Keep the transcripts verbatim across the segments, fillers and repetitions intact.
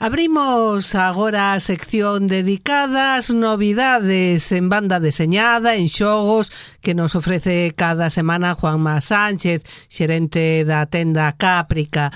Abrimos agora a sección dedicada ás novidades en banda deseñada, en xogos, que nos ofrece cada semana Juanma Sánchez, xerente da tenda Cáprica.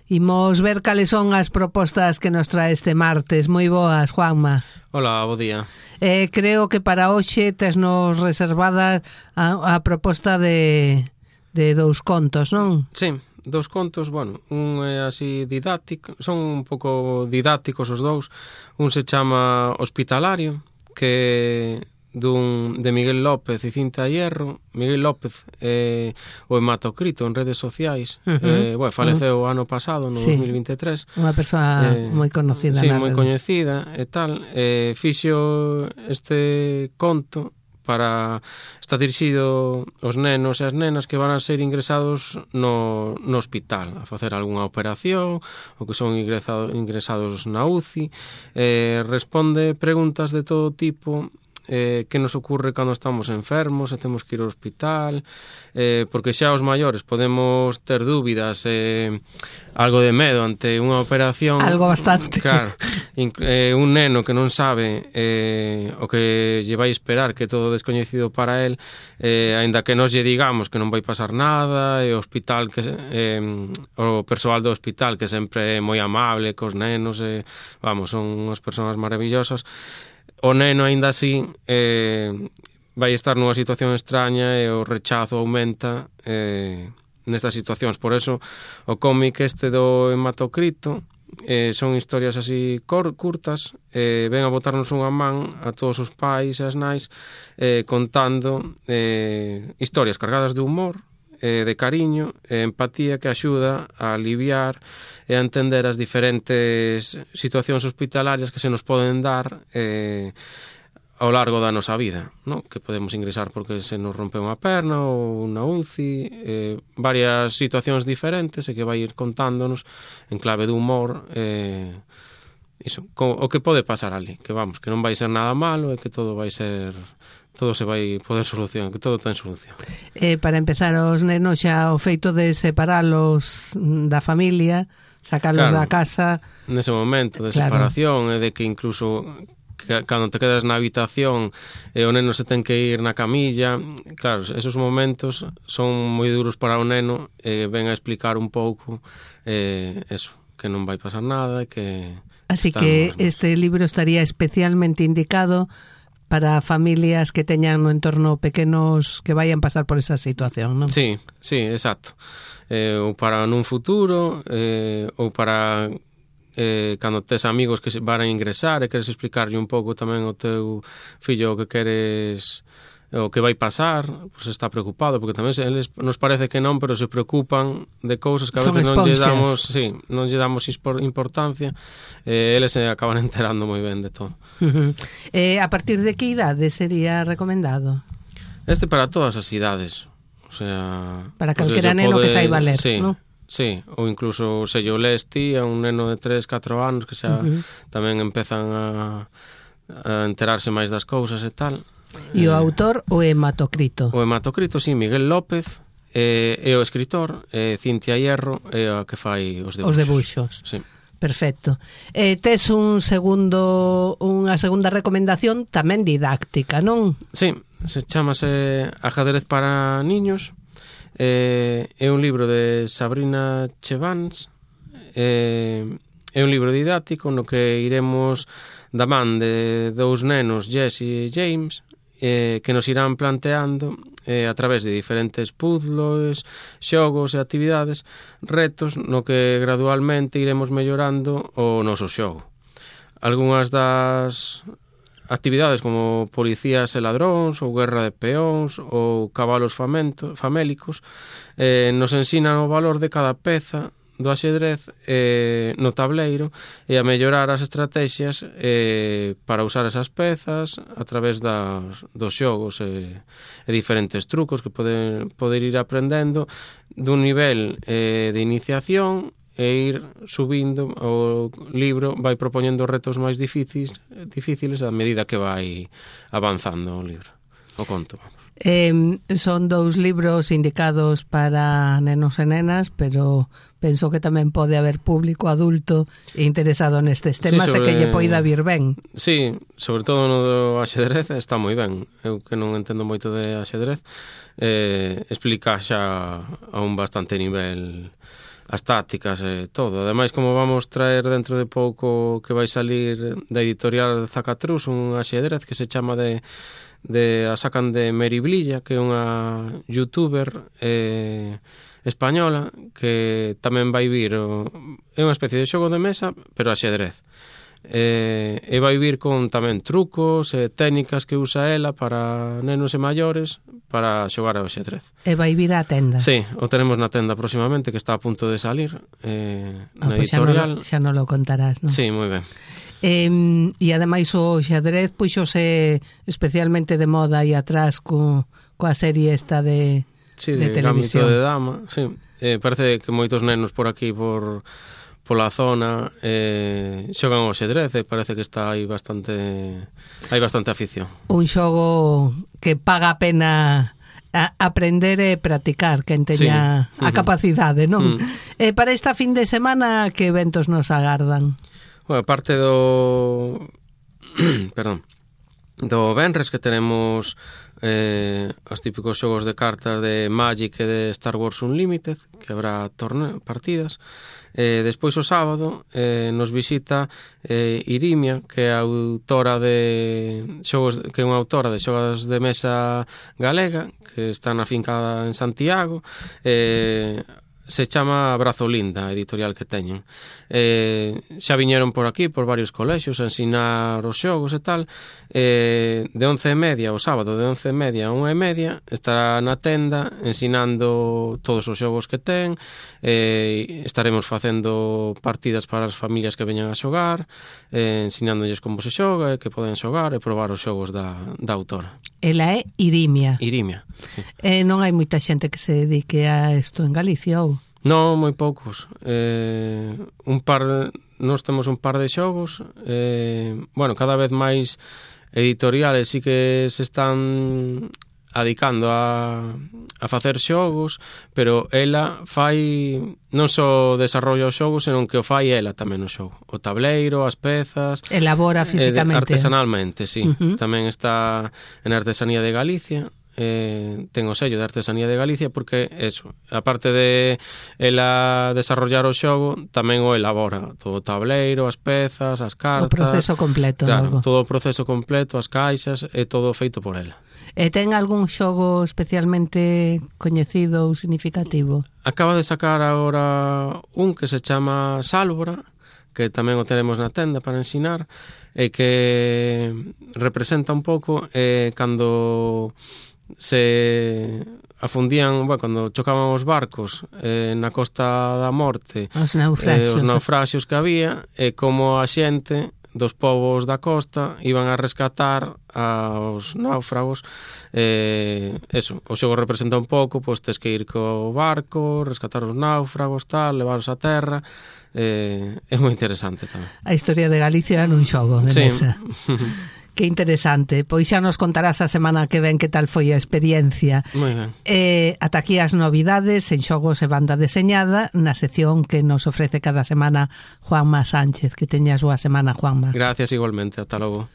Imos ver cales son as propostas que nos trae este martes. Moi boas, Juanma. Hola, bo día. Eh, creo que para hoxe tesnos reservada a, a proposta de, de dous contos, non? Sí. Dos contos, bueno, un é así didáctico, son un pouco didácticos os dous. Un se chama Hospitalario, que dun de Miguel López e Cinta Hierro. Miguel López é o hematocrito en redes sociais. Uh-huh. eh, bueno, faleceu o uh-huh. ano pasado, no sí. dos mil vinte e tres. Unha persoa eh, moi conocida. Sí, moi coñecida e tal. Eh, fixo este conto para está dirixido aos nenos e as nenas que van a ser ingresados no, no hospital a facer algunha operación ou que son ingresados, ingresados na U C I. Eh, responde preguntas de todo tipo. Eh, que nos ocurre cando estamos enfermos e temos que ir ao hospital, eh, porque xa os maiores podemos ter dúbidas, eh, algo de medo ante unha operación. Algo bastante. Claro, eh, un neno que non sabe eh, o que lle vai esperar, que é todo descoñecido para él, eh, aínda que nos lle digamos que non vai pasar nada, e o hospital que eh, o persoal do hospital que sempre é moi amable cos nenos, eh, vamos, son unhas persoas maravillosas. O neno, aínda así, eh, vai estar nunha situación extraña e o rechazo aumenta eh, nestas situacións. Por eso, o cómic este do hematocrito eh, son historias así cor, curtas, eh, ven a botarnos unha man a todos os pais e as nais eh, contando eh, historias cargadas de humor, eh, de cariño e empatía que axuda a aliviar e a entender as diferentes situacións hospitalarias que se nos poden dar eh, ao largo da nosa vida, ¿no? Que podemos ingresar porque se nos rompe unha perna ou na U C I, eh, varias situacións diferentes e que vai ir contándonos en clave de humor eh, iso, co, o que pode pasar ali, que vamos, que non vai ser nada malo e que todo vai ser... todo se vai poder solucionar, que todo ten solución. Eh, para empezar, os nenos xa o feito de separalos da familia, sacarlos claro, da casa... Nese momento de claro. separación, e de que incluso que, cando te quedas na habitación e o neno se ten que ir na camilla, claro, esos momentos son moi duros para o neno e ven a explicar un pouco eh, eso, que non vai pasar nada e que... Así que este libro estaría especialmente indicado para familias que teñan no entorno pequenos que vayan pasar por esa situación, non? Sí, sí, exacto. Eh, ou para nun futuro, eh, ou para eh, cando tes amigos que se van a ingresar e queres explicarlle un pouco tamén ao teu fillo o que queres, o que vai pasar, pues está preocupado, porque tamén eles nos parece que non, pero se preocupan de cousas que a veces non lle damos, sí, non lle damos importancia, e eh, eles se acaban enterando moi ben de todo. Uh-huh. Eh, a partir de que idade sería recomendado? Este para todas as idades, o sea... Para calquera neno pode, que saiba ler, sí, ¿no? Sí, ou incluso se yo lees ti a un neno de tres, catro anos que xa uh-huh. tamén empezan a, a enterarse máis das cousas e tal. E o autor, o hematocrito? O hematocrito, sí, Miguel López, eh, e o escritor, eh, Cintia Hierro, é a que fai os debuxos. Os debuxos. Sí. Perfecto. Eh, tes un segundo, unha segunda recomendación tamén didáctica, non? Sí, se chamase Ajedrez para niños. Eh, é un libro de Sabrina Chevans. Eh, é un libro didáctico no que iremos da man de dous nenos, Jess e James, eh, que nos irán planteando eh, a través de diferentes puzzles, xogos e actividades, retos no que gradualmente iremos mellorando o noso xogo. Algúnas das actividades como policías e ladróns, ou guerra de peóns, ou cabalos famento, famélicos, eh, nos ensinan o valor de cada peza do axedrez eh, no tableiro e a mellorar as estrategias eh, para usar esas pezas a través das, dos xogos e, e diferentes trucos que poden poder ir aprendendo dun nivel eh, de iniciación e ir subindo. O libro vai propoñendo retos máis difíciles, difíciles a medida que vai avanzando o libro, o conto. Eh, son dous libros indicados para nenos e nenas, pero penso que tamén pode haber público adulto interesado nestes temas sí, sobre... e que lle poida vir ben. Sí, sobre todo no do axedrez está moi ben. Eu que non entendo moito de axedrez, eh, explica xa a un bastante nivel as tácticas e todo. Ademais, como vamos traer dentro de pouco que vai salir da editorial Zacatrus un axedrez que se chama de, de a sacan de Meri Blilla, que é unha youtuber eh, española que tamén vai vir o, é unha especie de xogo de mesa, pero axedrez. Eh, e vai vir con tamén trucos e técnicas que usa ela para nenos e maiores para xogar ao xedrez. E vai vir á tenda? Sí, o tenemos na tenda próximamente, que está a punto de salir eh, ah, na pues editorial. Xa non lo contarás, non? Sí, moi ben. Eh, e ademais o xadrez puxose especialmente de moda aí atrás co, coa serie esta de, sí, de, de televisión. Gambito de Dama, sí. Eh, parece que moitos nenos por aquí, por pola zona, eh, xogan ao xedrez e parece que está aí bastante hai bastante afición. Un xogo que paga a pena a aprender e practicar, quen teña sí. a capacidade, non? Mm. Eh, para esta fin de semana, que eventos nos agardan? Bueno, parte do perdón, do venres que tenemos eh, os típicos xogos de cartas de Magic e de Star Wars Unlimited, que habrá torne partidas. Eh, despois o sábado eh, nos visita eh, Irimia, que é a autora de xogos, que é unha autora de xogos de mesa galega, que está afincada en Santiago. Eh, se chama Brazolinda, a editorial que teñen. Eh, xa viñeron por aquí, por varios colexios, a ensinar os xogos e tal. Eh, de once e media, o sábado, de once e media a unha e media, estará na tenda ensinando todos os xogos que ten. Eh, estaremos facendo partidas para as familias que veñan a xogar, eh, ensinándoles como se xoga, e que poden xogar e probar os xogos da, da autora. Ela é Irimia. Irimia, sí. Eh, non hai moita xente que se dedique a isto en Galicia, ou? Non, moi poucos. Eh, un par de, nós temos un par de xogos. Eh, bueno, cada vez máis editoriales sí que se están adicando a, a facer xogos, pero ela fai non só desarrolla os xogos, senón que o fai ela tamén o xogo. O tableiro, as pezas... Elabora físicamente. Eh, artesanalmente, sí. Uh-huh. Tamén está en Artesanía de Galicia. Eh, ten o sello de Artesanía de Galicia porque eso, aparte de ela desarrollar o xogo, tamén o elabora todo o tableiro, as pezas, as cartas, o proceso completo, claro, logo. todo o proceso completo, as caixas, é todo feito por ela. E ten algún xogo especialmente coñecido ou significativo? Acaba de sacar agora un que se chama Sálvora, que tamén o tenemos na tenda para ensinar, e que representa un pouco eh, cando se afundían, bueno, cando chocaban os barcos eh, na Costa da Morte, os naufraxios, eh, os naufraxios que había, e como a xente dos povos da costa iban a rescatar aos náufragos. Eh, eso, o xogo representa un pouco, pois tes que ir co barco, rescatar os náufragos, tal, levarlos a terra. Eh, é moi interesante tamén. A historia de Galicia nun xogo de sí. mesa. Que interesante. Pois xa nos contarás a semana que ven que tal foi a experiencia. Moi ben. Eh, ata aquí as novidades en xogos e banda deseñada na sección que nos ofrece cada semana Juanma Sánchez. Que teñas boa semana, Juanma. Gracias igualmente. Ata logo.